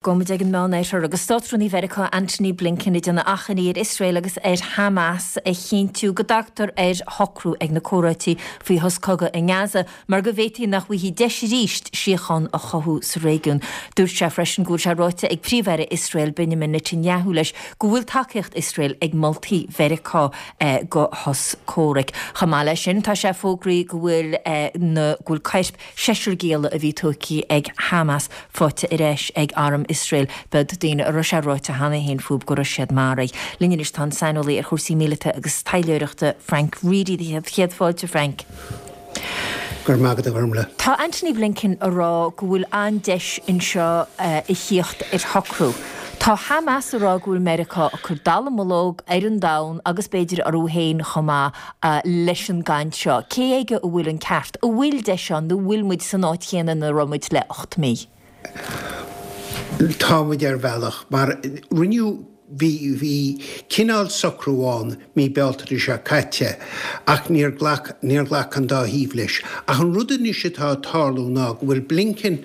Gabhfaidh muid ag an Meánoirthear agus Státrúnaí Mheiriceá Antony Blinken ag déanamh achainí ar Iosrael agus ar Hamas a chinntiú go dtagtar ar shocrú ag na comhráití faoi shos cogaidh i nGaza mar go bhféadfaí nach bhfaighfí deis arís síocháin a chothú sa réigiún. Dúirt sé freisin go bhfuil sé ráite ag Príomh-Aire Iosrael Benjamin Netanyahu leis go bhfuil tacaíocht Iosrael ag moltaí Mheiriceá go shos comhraic. Chomh maith leis sin tá sé fógraithe go bhfuil na go bhfuil coirp Seisear gialla a bhí tógtha ag Hamas faighte ar ais ag arm Iosrael. B'iad daoine a raibh sé ráite cheana féin fúthu go raibh siad maraithe. Linn anois tá an saineolaí ar chúrsaí míleata agus taidhleoireachta Frank Reidy. Céad fáilte, Frank. Go raibh maith agat, a Ghormlaith. Tá Antony Blinken a rá go bhfuil an-deis anseo a thíocht ar shocrú. Tá Hamas a rá go bhfuil Meiriceá ag cur dallamullóg ar an domhan agus b'fhéidir orthu féin chomh maith. leis an gcaint seo? Cé aige a bhfuil an ceart? An bhfuil deis ann nó an bhfuil muid san áit chéanna ina raibh muid le 8 mí? Tá muid ar bhealach, mar rinneadh, bhí, bhí cineál socrú ann mí Bealtaine seo caite ach níor ghlac, níor ghlac an dá thaobh leis. Ach an rud anois atá ag tarlú ná go bhfuil Blinken,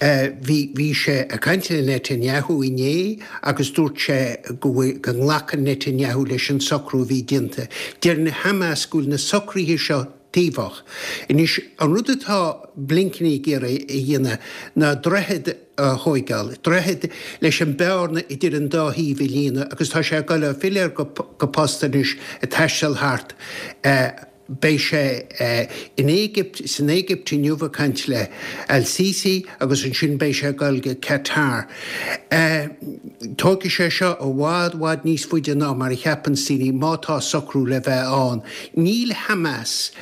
Bhí, bhí sé ag caint le Netanyahu inné agus dúirt sé go bhfuil, go nglacann Netanyahu leis an socrú a bhí déanta. Deir na Hamas go bhfuil na socruithe seo taobhach. Anois, an rud atá Blinken ag iarraidh a dhéanamh ná droichead a thóigeáil, droichead leis an bearna idir an dá thaobh a líonadh agus tá sé ag dul ag filleadh go post anois, ag taisteal thart. Beidh sé in Éigipt, san Éigipt inniu ag caint le Al Sisi agus ansin beidh sé ag dul go Qatar. Tógfaidh sé seo i bhfad, bhfad níos faide ná mar a cheapanns daoine má tá socrú le bheith ann. Níl Hamas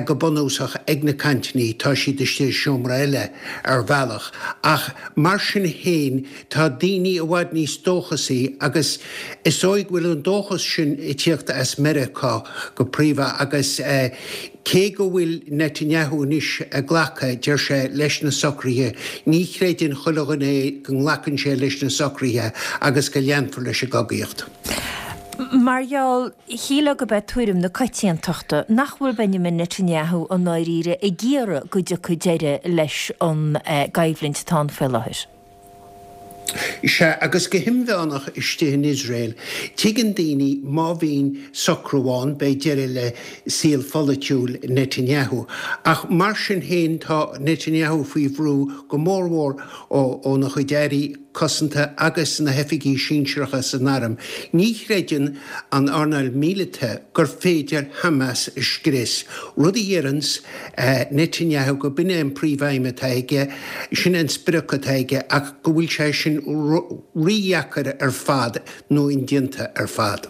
go bunúsach ag na cainteanna, tá siad istigh i seomra eile ar bhealach ach mar sin féin Tá daoine i bhfad níos dóchasaí agus is dóigh go bhfuil an dóchas sin ag tíocht as Meiriceá go príomha agus cé go bhfuil Netanyahu anois ag glacadh, deir sé, leis na socruithe, ní chreideann chuile dhuine é go nglacann sé leis na socruithe agus go leanfar leis an gcogaíocht. Mar gheall, shílfeá gurb é tuairim na coitiantachta nach bhfuil Benjamin Netanyahu i ndáiríre ag iarraidh go dtiocfaidh deireadh leis an gcoimhlint atá ann faoi láthair. Sea, agus go himmheánach istigh in Iosrael, tuigeann daoine má bhíonn socrú ann, beidh deireadh le saol pholaitiúil Netanyahu. Ach mar sin féin, tá Netanyahu faoi bhrú go mórmhór óna chuid airí cosanta agus na hoifigigh sinsearacha san arm. Ní chreideann an earnáil mhíleata gur féidir Hamas a scrios, rud a dheireanns Netanyahu go b'in é an príomhaidhm atá aige, sin é an sprioc atá aige ach go bhfuil sé sin rídheacair ar fad nó indéanta ar fad.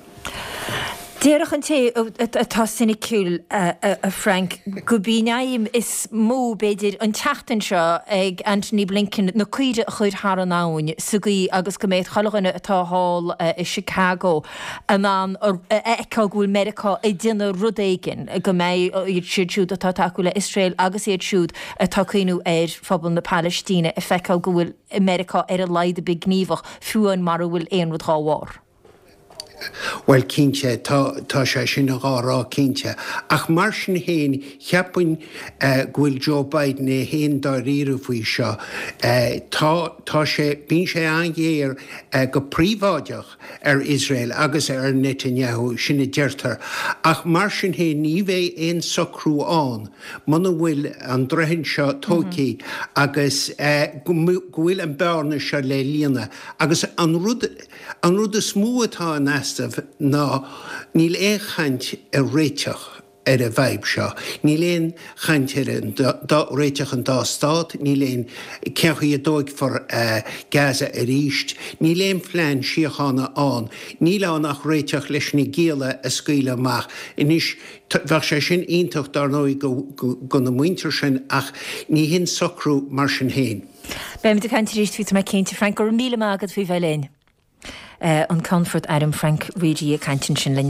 Déarfadh an té atá soiniciúil, a Frank, gurb í an aidhm is mó, b'fhéidir, an tseachtain seo ag Antony Blinken na caoirigh a chur thar an abhainn sa gcaoi agus go mbeidh chuile dhuine atá thall i Chicago in ann a fheiceáil go bhfuil Meiriceá ag déanamh rud éigin, go mbeidh iad siúd atá ag tacú le Iosrael agus iad siúd atá ag cuimhniú ar phobal na Palaistíne ag feiceáil go bhfuil Meiriceá ar a laghad ar bith gníomhach, fiú amháin mara bhfuil aon rud dhá bharr. Bhuel, cinnte, tá, tá sé sin dhá rá cinnte. Ach mar sin féin, cheapfainn go bhfuil Joe Biden é féin dáiríre faoi seo. Tá, tá sé, bíonn sé an-ghéar go príobháideach ar Iosrael agus ar Netanyahu, sin a deirtear. Ach mar sin féin, ní bheidh aon socrú ann muna bhfuil an droichead seo tógtha agus go bhfuil an bearna seo le líonadh. Agus an rud, an rud is mó atá in easnamh ná níl aon chaint ar réiteach. ar an bhfadhb seo. Níl aon chaint ar an dá, réiteach an dá stát, níl aon, cén chaoi a dtóigfear Gaza arís, níl aon phlean síochána ann. Níl ann ach réiteach leis na gialla a scaoileadh amach. Anois, bheadh sé sin iontach dár ndóigh do na muintir sin ach ní hin socrú mar sin féin. Beimid ag caint arís faoi tá mé cinnte, Frank. Go raibh míle maith agat faoi bheith linn. An Ceannfort Airm Frank Reidy ag caint ansin linn.